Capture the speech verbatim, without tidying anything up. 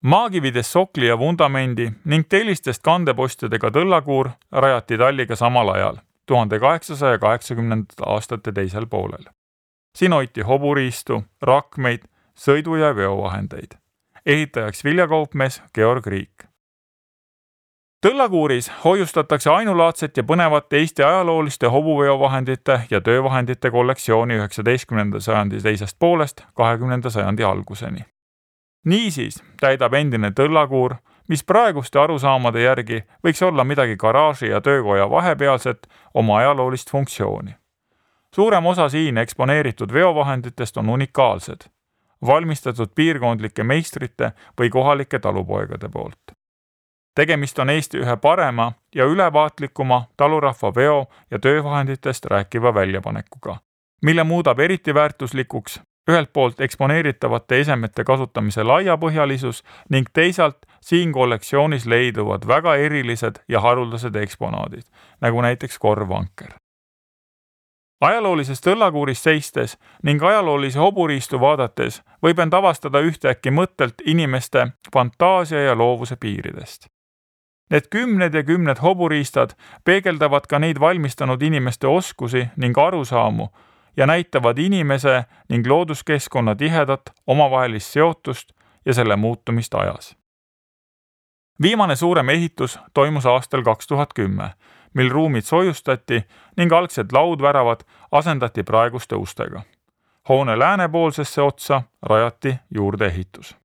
Maakividest sokli ja vundamendi ning tellistest kandepostidega tõllakuur rajati talliga samal ajal, tuhande kaheksasaja kaheksakümnendate aastate teisel poolel. Siin hoiti hoburiistu, rakmeid, sõidu- ja veovahendeid. Ehitajaks viljakaupmees Georg Riik. Tõllakuuris hoiustatakse ainulaadset ja põnevat Eesti ajalooliste hobuveovahendite ja töövahendite kollektsiooni üheksateistkümnenda sajandi teisest poolest kahekümnenda sajandi alguseni. Niisiis täidab endine tõllakuur, mis praeguste arusaamade järgi võiks olla midagi garaaži ja töökoja vahepealset, oma ajaloolist funktsiooni. Suurem osa siin eksponeeritud veovahenditest on unikaalsed, valmistatud piirkondlike meistrite või kohalike talupoegade poolt. Tegemist on Eesti ühe parema ja ülevaatlikuma talurahva veo- ja töövahenditest rääkiva väljapanekuga, mille muudab eriti väärtuslikuks ühelt poolt eksponeeritavate esemete kasutamise laiapõhjalisus ning teisalt siin kollektsioonis leiduvad väga erilised ja haruldased eksponaadid, nagu näiteks korvvanker. Ajaloolises tõllakuuris seistes ning ajaloolise hoburiistu vaadates võib end avastada ühtäkki mõttelt inimeste fantaasia ja loovuse piiridest. Need kümned ja kümned hoburiistad peegeldavad ka neid valmistanud inimeste oskusi ning arusaamu ja näitavad inimese ning looduskeskkonna tihedat omavahelist seotust ja selle muutumist ajas. Viimane suurem ehitus toimus aastal kaks tuhat kümme, mil ruumid soojustati ning algsed laudväravad asendati praeguste ustega. Hoone läänepoolsesse otsa rajati juurdeehitus.